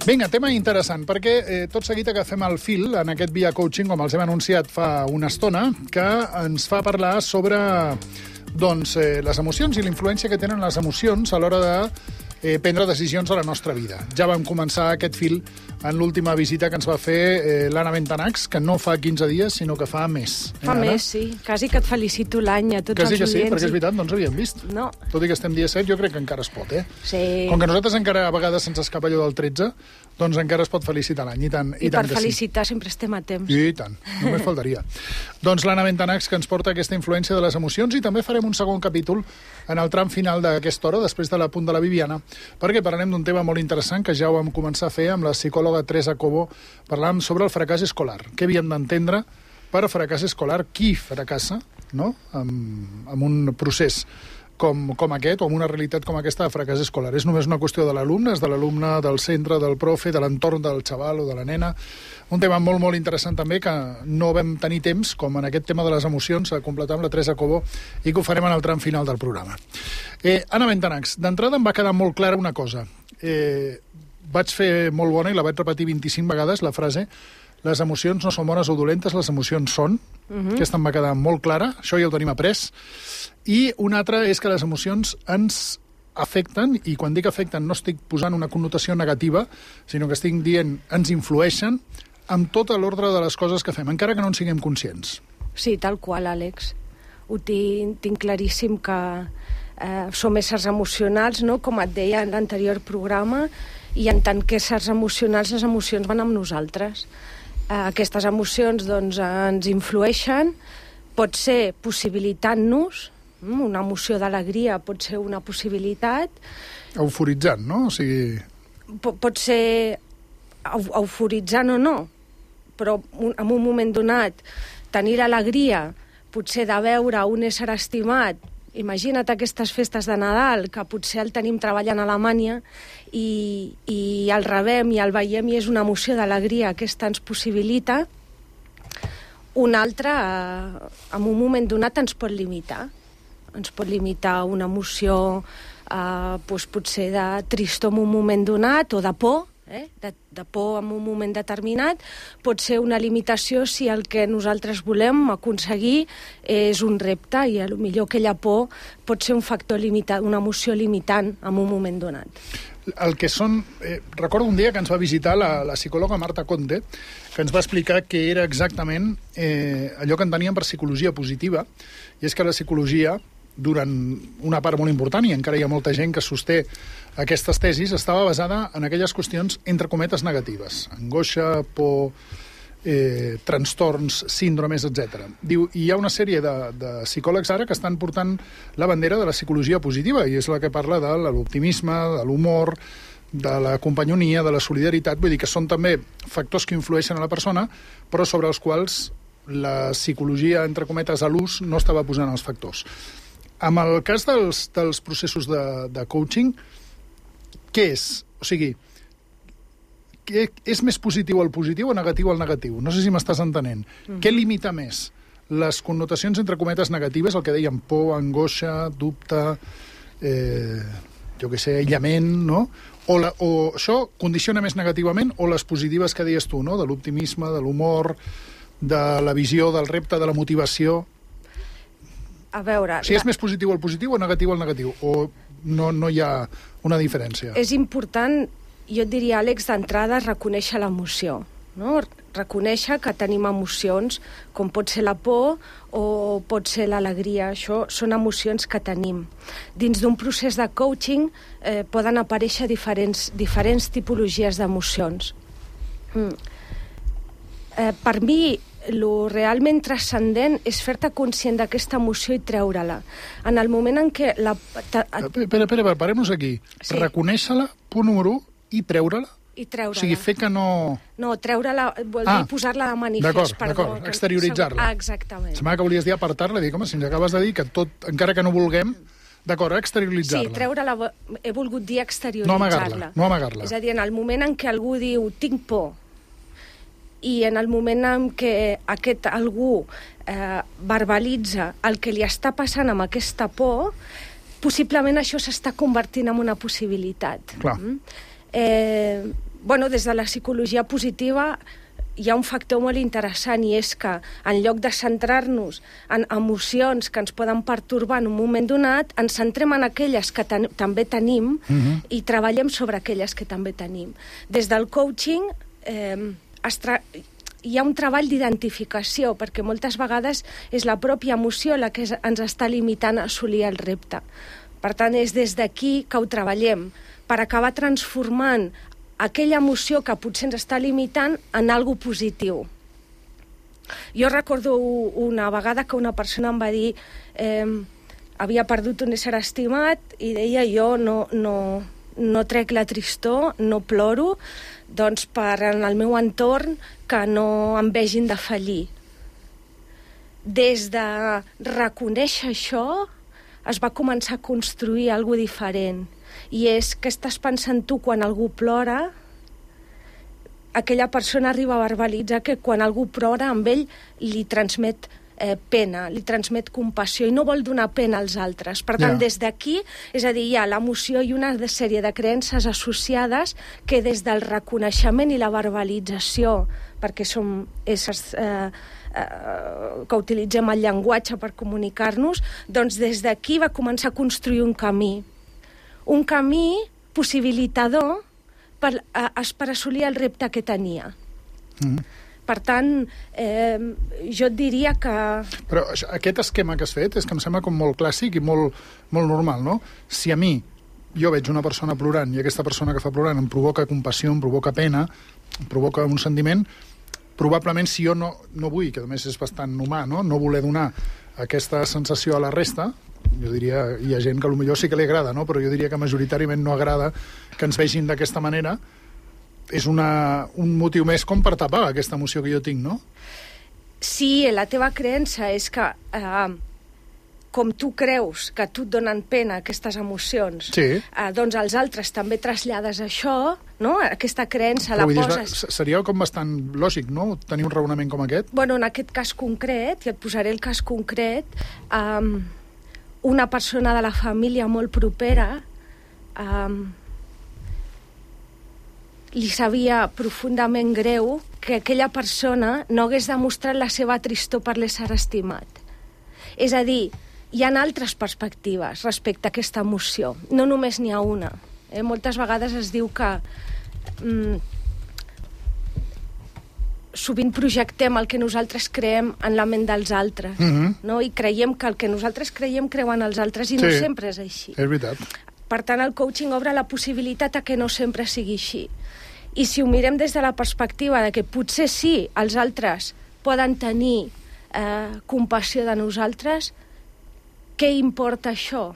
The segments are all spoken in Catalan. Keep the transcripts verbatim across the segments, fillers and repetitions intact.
Vinga, tema interessant, perquè eh, tot seguit agafem el fil en aquest Via Coaching, com els hem anunciat fa una estona, que ens fa parlar sobre doncs, eh, les emocions i la influència que tenen les emocions a l'hora de eh, prendre decisions a la nostra vida. Ja vam començar aquest fil en l'última visita que ens va fer eh, l'Anna Bentanax, que no fa quinze dies, sinó que fa més. Fa eh, més, sí. Quasi que et felicito l'any a tots Quasi els que sí, oients. perquè és veritat, no ens havíem vist. No. Tot i que estem dia set, jo crec que encara es pot, eh? Sí. Com que nosaltres encara a vegades se'ns escapa allò del tretze, doncs encara es pot felicitar l'any, i tant, i, I tant per que felicitar sí. sempre estem a temps. I tant, només faltaria. Doncs l'Anna Bentanax, que ens porta aquesta influència de les emocions, i també farem un segon capítol en el tram final d'aquesta hora, després de l'apunt de la Viviana, perquè parlarem d'un tema molt interessant que ja ho vam començar a fer amb la psicòloga Teresa Cobo. Parlàvem sobre el fracàs escolar. Què havíem d'entendre per fracàs escolar? Qui fracassa, no?, amb, amb un procés com, com aquest, o amb una realitat com aquesta de fracàs escolar. És només una qüestió de l'alumne, és de l'alumne, del centre, del profe, de l'entorn del xaval o de la nena. Un tema molt, molt interessant també, que no vam tenir temps, com en aquest tema de les emocions, a completar amb la Teresa Cobo, i que ho farem en el tram final del programa. Eh, Anna Bentanax, d'entrada em va quedar molt clara una cosa. Eh, vaig fer molt bona, i la vaig repetir vint-i-cinc vegades, la frase: les emocions no són bones o dolentes, les emocions són. Uh-huh. Aquesta em va quedar molt clara, això ja ho tenim après. I una altra és que les emocions ens afecten, i quan dic afecten no estic posant una connotació negativa, sinó que estic dient ens influeixen amb tot l'ordre de les coses que fem, encara que no en siguem conscients. Sí, tal qual, Àlex. Ho tinc, tinc claríssim que eh, som éssers emocionals, no?, com et deia en l'anterior programa, i en tant que éssers emocionals, les emocions van amb nosaltres. Eh, aquestes emocions doncs, ens influeixen, pot ser possibilitant-nos, una emoció d'alegria pot ser una possibilitat. Euforitzant, no? O sigui... P pot ser eu euforitzant o no, però un, en un moment donat tenir l'alegria potser de veure un ésser estimat. Imagina't aquestes festes de Nadal, que potser el tenim treballant a Alemanya i, i el rebem i el veiem i és una emoció d'alegria, aquesta ens possibilita. Un altre, eh, en un moment donat, ens pot limitar. Ens pot limitar una emoció eh, doncs potser de tristor en un moment donat, o de por, eh? de, de por en un moment determinat. Pot ser una limitació si el que nosaltres volem aconseguir és un repte, i potser aquella por pot ser un factor limitat, una emoció limitant en un moment donat. El que són... Eh, recordo un dia que ens va visitar la, la psicòloga Marta Conte, que ens va explicar què era exactament eh, allò que enteníem per psicologia positiva, i és que la psicologia, durant una part molt important, i encara hi ha molta gent que sosté aquestes tesis, estava basada en aquelles qüestions, entre cometes, negatives. Angoixa, por, eh, trastorns, síndromes, etcètera. Diu, i hi ha una sèrie de, de psicòlegs ara que estan portant la bandera de la psicologia positiva, i és la que parla de l'optimisme, de l'humor, de la companyonia, de la solidaritat. Vull dir que són també factors que influeixen a la persona, però sobre els quals la psicologia, entre cometes, a l'ús, no estava posant els factors. Amb el cas dels, dels processos de, de coaching, què és? O sigui, què, és més positiu el positiu o negatiu el negatiu? No sé si m'estàs entenent. Mm. Què limita més? Les connotacions, entre cometes, negatives, el que dèiem por, angoixa, dubte, eh, jo què sé, aïllament, no? O, la, o això condiciona més negativament, o les positives que deies tu, no?, de l'optimisme, de l'humor, de la visió, del repte, de la motivació. A veure... Si és més positiu el positiu o negatiu el negatiu, o no, no hi ha una diferència? És important, jo et diria, Àlex, d'entrada, reconèixer l'emoció, no? Reconèixer que tenim emocions, com pot ser la por o pot ser l'alegria. Això són emocions que tenim. Dins d'un procés de coaching eh, poden aparèixer diferents, diferents tipologies d'emocions. Mm. Eh, per mi, lo realment transcendent és fer-te conscient d'aquesta emoció i treure-la. En el moment en què... La... Espera, espera, parem-nos aquí. Sí. Reconèixer-la, punt número u, i treure-la? I treure-la. O sigui, fer que no... No, treure-la vol dir ah, posar-la de manifest. D'acord, perdó, d'acord, exterioritzar-la. Ah, exactament. Semblava que volies dir apartar-la, i dic, home, si ens acabes de dir que tot, encara que no vulguem, d'acord, exterioritzar-la. Sí, treure-la, he volgut dir exterioritzar-la. No amagar-la, no amagar-la. És a dir, en el moment en què algú diu tinc por, i en el moment en què aquest algú eh, verbalitza el que li està passant amb aquesta por, possiblement això s'està convertint en una possibilitat. Clar. Mm? Eh, bueno, des de la psicologia positiva hi ha un factor molt interessant, i és que en lloc de centrar-nos en emocions que ens poden pertorbar en un moment donat, ens centrem en aquelles que ten també tenim uh-huh. i treballem sobre aquelles que també tenim. Des del coaching eh, es tra hi ha un treball d'identificació, perquè moltes vegades és la pròpia emoció la que ens està limitant a assolir el repte. Per tant, és des d'aquí que ho treballem, per acabar transformant aquella emoció que potser ens està limitant en algo positiu. Jo recordo una vegada que una persona em va dir eh, havia perdut un ésser estimat i deia jo no, no, no trec la tristor, no ploro, doncs per en el meu entorn que no em vegin de fallir. Des de reconèixer això es va començar a construir alguna cosa diferent. I és que estàs pensant tu quan algú plora, aquella persona arriba a verbalitzar que quan algú plora amb ell li transmet eh, pena, li transmet compassió i no vol donar pena als altres. Per tant, yeah. des d'aquí, és a dir, hi ha l'emoció i una sèrie de creences associades que des del reconeixement i la verbalització, perquè som éssers eh, eh, que utilitzem el llenguatge per comunicar-nos, doncs des d'aquí va començar a construir un camí. Un camí possibilitador per, a, per assolir el repte que tenia. Mm. Per tant, eh, jo et diria que... Però això, aquest esquema que has fet és que em sembla com molt clàssic i molt, molt normal, no? Si a mi jo veig una persona plorant i aquesta persona que fa plorant em provoca compassió, em provoca pena, em provoca un sentiment, probablement si jo no, no vull, que a més és bastant humà, no? No voler donar aquesta sensació a la resta, jo diria, hi ha gent que potser sí que li agrada, no? Però jo diria que majoritàriament no agrada que ens vegin d'aquesta manera, és una, un motiu més com per tapar aquesta emoció que jo tinc, no? Sí, la teva creença és que eh, com tu creus que a tu et donen pena aquestes emocions, sí. eh, doncs als altres també trasllades això, no? Aquesta creença però la dir, poses... Seria com bastant lògic, no?, tenir un raonament com aquest? Bueno, en aquest cas concret, i et posaré el cas concret, eh, una persona de la família molt propera eh, li sabia profundament greu que aquella persona no hagués demostrat la seva tristor per l'ésser estimat. És a dir, hi ha altres perspectives respecte a aquesta emoció. No només n'hi ha una. Eh? Moltes vegades es diu que mm, sovint projectem el que nosaltres creem en la ment dels altres, mm-hmm. no? I creiem que el que nosaltres creiem creuen els altres i sí, no sempre és així. És veritat. Per tant, el coaching obre la possibilitat a que no sempre sigui així. I si ho mirem des de la perspectiva de que potser sí, els altres poden tenir eh, compassió de nosaltres, què importa això?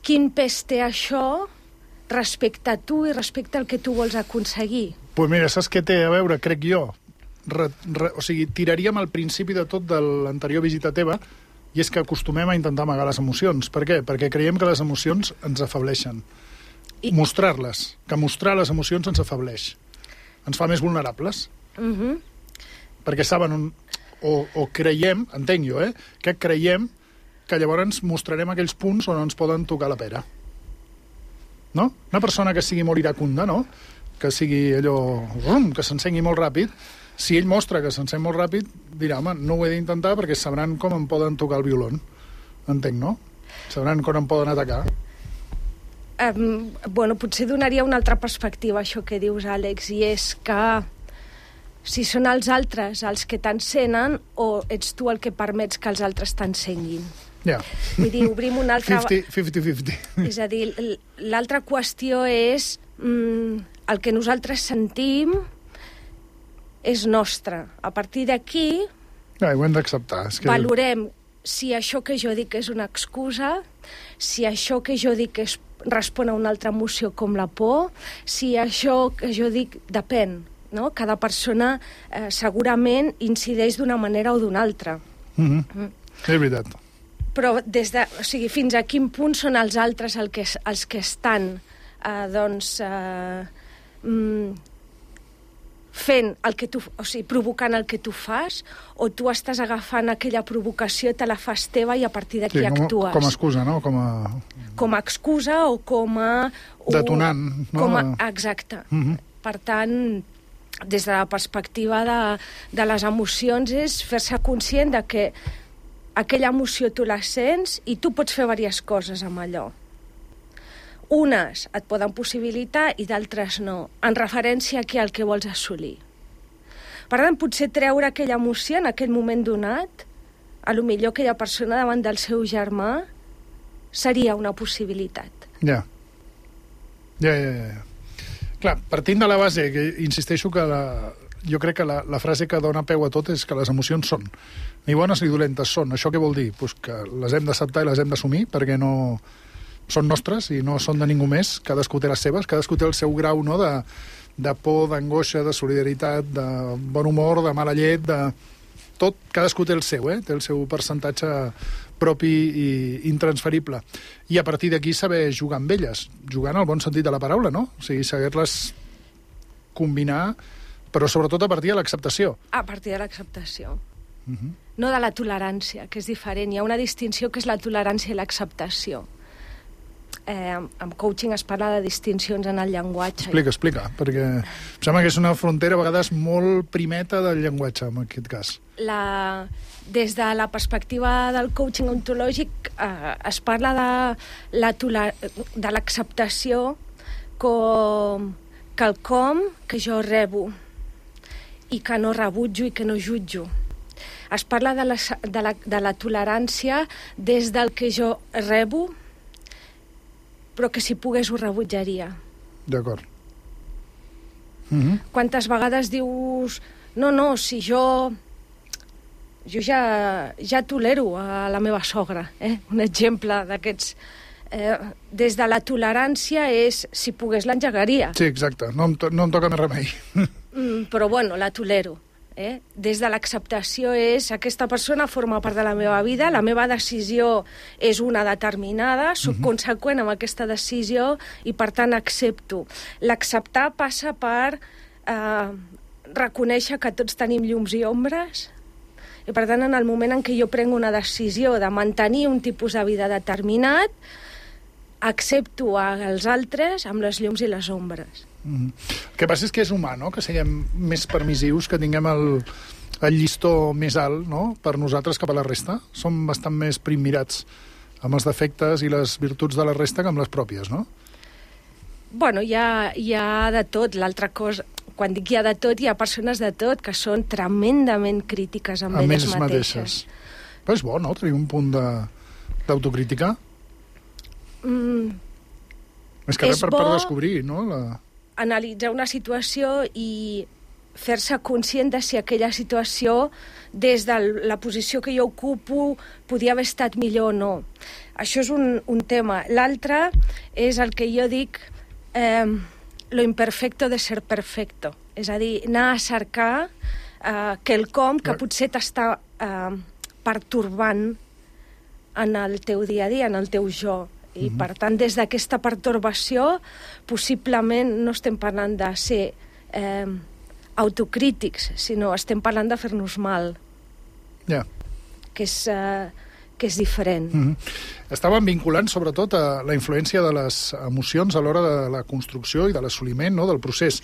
Quin pes té això respecte a tu i respecte al que tu vols aconseguir? Doncs pues mira, saps què té a veure, crec jo? Re, re, o sigui, tiraríem al principi de tot de l'anterior visita teva, i és que acostumem a intentar amagar les emocions. Per què? Perquè creiem que les emocions ens afableixen. I... Mostrar-les, que mostrar les emocions ens afableix. Ens fa més vulnerables. Uh-huh. Perquè saben on... O, o creiem, entenc jo, eh? Que creiem que llavors mostrarem aquells punts on ens poden tocar la pera. No? Una persona que sigui molt iracunda, no? Que sigui allò... que s'encengui molt ràpid, si ell mostra que s'encén molt ràpid, dirà, home, no ho he d'intentar perquè sabran com em poden tocar el violon. Entenc, no? Sabran com em poden atacar. Um, bueno, potser donaria una altra perspectiva a això que dius, Àlex, i és que si són els altres els que t'encenen o ets tu el que permets que els altres t'encenguin. Ja. Yeah. Vull dir, obrim una altra... cinquanta cinquanta. És a dir, l'altra qüestió és mm, el que nosaltres sentim és nostre. A partir d'aquí... Ja, ho hem d'acceptar. És que... Valorem si això que jo dic és una excusa, si això que jo dic és respon a una altra emoció com la por, si això que jo dic depèn, no? Cada persona eh, segurament incideix d'una manera o d'una altra. Mm-hmm. Mm. És veritat. Però des de, o sigui, fins a quin punt són els altres el que, els que estan eh, doncs eh, mm, fent el que tu, o sigui, provocant el que tu fas, o tu estàs agafant aquella provocació, te la fas teva i a partir d'aquí sí, com, actues. Com a excusa, no? Com a... Com a excusa o com a... Detonant, no? Com a, exacte. Mm-hmm. Per tant, des de la perspectiva de, de les emocions, és fer-se conscient de que aquella emoció tu la sents i tu pots fer diverses coses amb allò. Unes et poden possibilitar i d'altres no, en referència aquí al que vols assolir. Per tant, potser treure aquella emoció en aquell moment donat, a lo millor aquella persona davant del seu germà, seria una possibilitat. Ja. Ja, ja, ja. Clar, partint de la base, que insisteixo que la, jo crec que la, la frase que dona peu a tot és que les emocions són, ni bones ni dolentes són. Això què vol dir? Pues que les hem d'acceptar i les hem d'assumir, perquè no són nostres i no són de ningú més, cadascú té les seves, cadascú té el seu grau, no?, de, de por, d'angoixa, de solidaritat, de bon humor, de mala llet, de tot, cadascú té el seu, eh? Té el seu percentatge propi i intransferible. I a partir d'aquí saber jugar amb elles, jugar en el bon sentit de la paraula, no? O sigui, saber-les combinar, però sobretot a partir de l'acceptació. A partir de l'acceptació. Uh-huh. No de la tolerància, que és diferent. Hi ha una distinció que és la tolerància i l'acceptació. Eh, amb coaching es parla de distincions en el llenguatge. Explica, explica, perquè em sembla que és una frontera a vegades molt primeta del llenguatge, en aquest cas. La, des de la perspectiva del coaching ontològic eh, es parla de, la toler, de l'acceptació com quelcom que jo rebo i que no rebutjo i que no jutjo. Es parla de la, de la, de la tolerància des del que jo rebo, però que si pogués ho rebutjaria. D'acord. Mm-hmm. Quantes vegades dius no, no, si jo jo ja, ja tolero a la meva sogra, eh? Un exemple d'aquests. Eh, des de la tolerància és, si pogués l'engegaria. Sí, exacte, no em, to no em toca més remei. Mm, però bueno, la tolero. Eh? Des de l'acceptació és, aquesta persona forma part de la meva vida, la meva decisió és una determinada, soc uh-huh. conseqüent amb aquesta decisió i per tant accepto. L'acceptar passa per eh, reconèixer que tots tenim llums i ombres i per tant en el moment en què jo prenc una decisió de mantenir un tipus de vida determinat, accepto els altres amb les llums i les ombres. Mm. El que passa és que és humà, no?, que siguem més permissius, que tinguem el, el llistó més alt, no?, per nosaltres cap a la resta. Som bastant més primmirats amb els defectes i les virtuts de la resta que amb les pròpies, no? Bueno, hi ha, hi ha de tot. L'altra cosa, quan dic hi ha de tot, hi ha persones de tot que són tremendament crítiques amb, amb elles mateixes. mateixes. Però és bo, no?, tenir un punt d'autocrítica. Mm, és que res per, per descobrir, no?, la... analitzar una situació i fer-se conscient de si aquella situació, des de la posició que jo ocupo, podia haver estat millor o no. Això és un, un tema. L'altre és el que jo dic eh, lo imperfecto de ser perfecto. És a dir, anar a cercar eh, quelcom que potser t'està eh, pertorbant en el teu dia a dia, en el teu jo. I, uh-huh. per tant, des d'aquesta pertorbació, possiblement no estem parlant de ser eh, autocrítics, sinó estem parlant de fer-nos mal. Ja. Yeah. Que és, eh, que és diferent. Uh-huh. Estàvem vinculant, sobretot, a la influència de les emocions a l'hora de la construcció i de l'assoliment, no?, del procés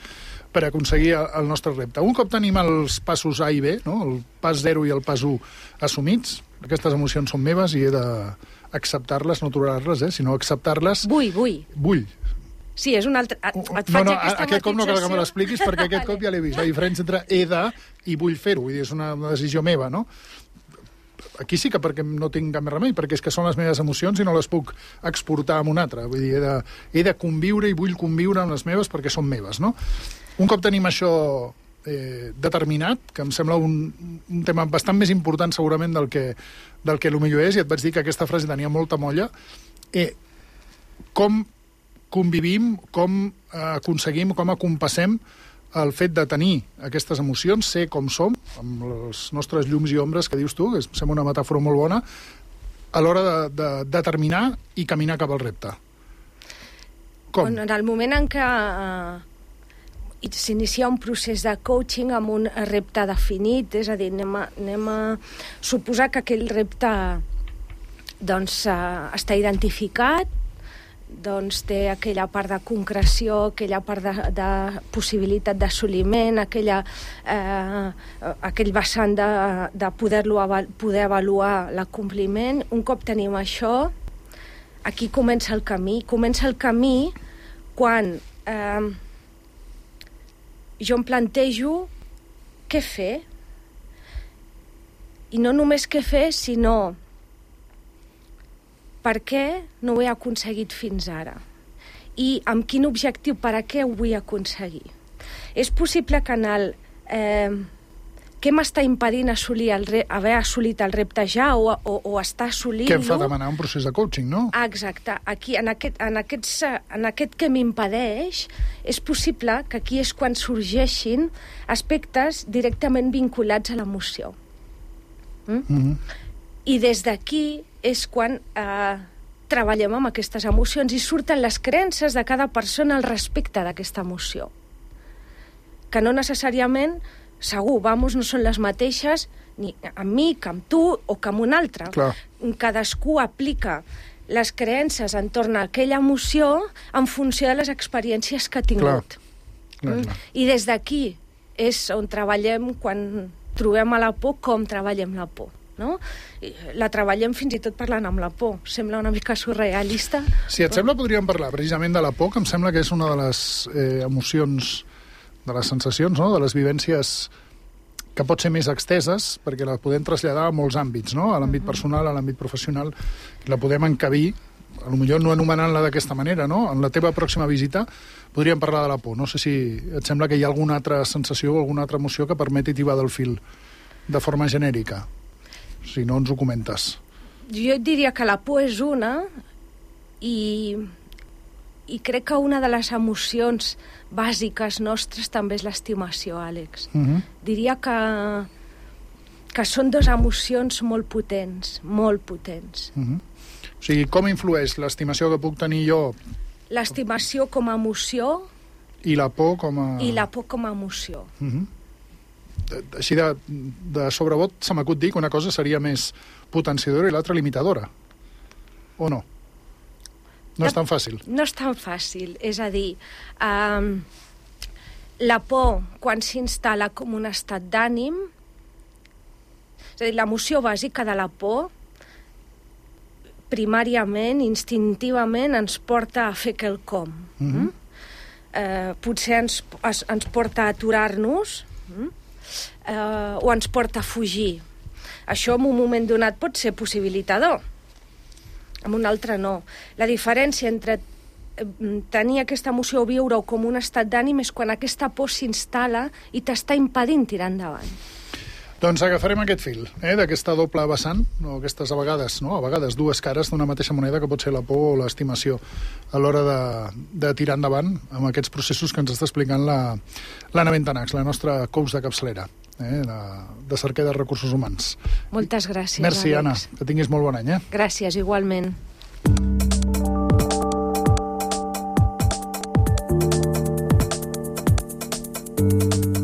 per aconseguir el nostre repte. Un cop tenim els passos A i B, no?, el pas zero i el pas u assumits, aquestes emocions són meves i he de acceptar-les, no tolerar-les, eh, sinó acceptar-les... Vull, vull. Vull. Sí, és un altre... Et, et faig no, no, aquesta aquest cop no cal que me matització. l'expliquis perquè aquest cop ja l'he vist. La diferència entre he de i vull fer-ho, vull dir, és una, una decisió meva, no? Aquí sí que perquè no tinc cap més remei, perquè és que són les meves emocions i no les puc exportar a un altre. Vull dir, he de, he de conviure i vull conviure amb les meves perquè són meves, no? Un cop tenim això eh, determinat, que em sembla un, un tema bastant més important segurament del que, del que potser és, i et vaig dir que aquesta frase tenia molta molla, eh, com convivim, com eh, aconseguim, com acompassem el fet de tenir aquestes emocions, ser com som, amb les nostres llums i ombres que dius tu, que sembla una metàfora molt bona, a l'hora de, de determinar i caminar cap al repte. Com? Bueno, en el moment en què eh, s'inicia un procés de coaching amb un repte definit, és a dir, anem a, anem a suposar que aquell repte doncs, eh, està identificat, doncs té aquella part de concreció, aquella part de, de possibilitat d'assoliment, aquella, eh, aquell vessant de, de poder-lo poder avaluar l'acompliment. Un cop tenim això, aquí comença el camí. Comença el camí quan eh, jo em plantejo què fer. I no només què fer, sinó per què no ho he aconseguit fins ara i amb quin objectiu, per a què ho vull aconseguir. És possible que en el eh, què m'està impedint assolir el re, haver assolit el repte ja o, o, o està assolint-lo... Què em fa demanar un procés de coaching, no? Exacte. Aquí, en aquest, en aquests, en aquest que m'impedeix, és possible que aquí és quan sorgeixin aspectes directament vinculats a l'emoció. Mm? Mm-hmm. I des d'aquí és quan eh, treballem amb aquestes emocions i surten les creences de cada persona al respecte d'aquesta emoció. Que no necessàriament, segur, vamos, no són les mateixes ni amb mi, que amb tu o que amb un altre. Clar. Cadascú aplica les creences entorn a aquella emoció en funció de les experiències que ha tingut. Clar. Clar, clar. I des d'aquí és on treballem quan trobem a la por, com treballem la por. No? La treballem fins i tot parlant amb la por. Sembla una mica surrealista. Si et sembla, podríem parlar precisament de la por, que em sembla que és una de les eh, emocions, de les sensacions, no? De les vivències que pot ser més exteses, perquè la podem traslladar a molts àmbits, no? A l'àmbit personal, a l'àmbit professional, la podem encabir, a lo millor no anomenant-la d'aquesta manera, no? En la teva pròxima visita podríem parlar de la por. No sé si et sembla que hi ha alguna altra sensació o alguna altra emoció que permeti tibar del fil de forma genèrica. Si no, ens ho comentes. Jo diria que la por és una i, i crec que una de les emocions bàsiques nostres també és l'estimació, Àlex. Uh-huh. Diria que, que són dues emocions molt potents, molt potents. Uh-huh. O sigui, com influeix l'estimació que puc tenir jo? L'estimació com a emoció i la por com a... I la por com a emoció. Uh-huh. Així de, de sobrebot se m'acut dir que una cosa seria més potenciadora i l'altra limitadora. O no? No, no és tan fàcil. No és tan fàcil. És a dir, um, la por, quan s'instal·la com un estat d'ànim, és a dir, l'emoció bàsica de la por, primàriament, instintivament, ens porta a fer quelcom. Mm-hmm. Mm? Eh, potser ens, es, ens porta a aturar-nos, mm? Uh, o ens porta a fugir. Això en un moment donat pot ser possibilitador, en un altre no. La diferència entre tenir aquesta emoció o viure-ho com un estat d'ànim és quan aquesta por s'instal·la i t'està impedint tirar endavant. Doncs agafarem aquest fil, eh, d'aquesta doble vessant, o aquestes a vegades, no? a vegades dues cares d'una mateixa moneda que pot ser la por o l'estimació a l'hora de, de tirar endavant amb aquests processos que ens està explicant la, l'Anna Bentanax, la nostra coach de capçalera, eh, de, de cerca de recursos humans. Moltes gràcies, Merci, Àlex. Anna, que tinguis molt bon any. Eh? Gràcies, igualment. Thank you.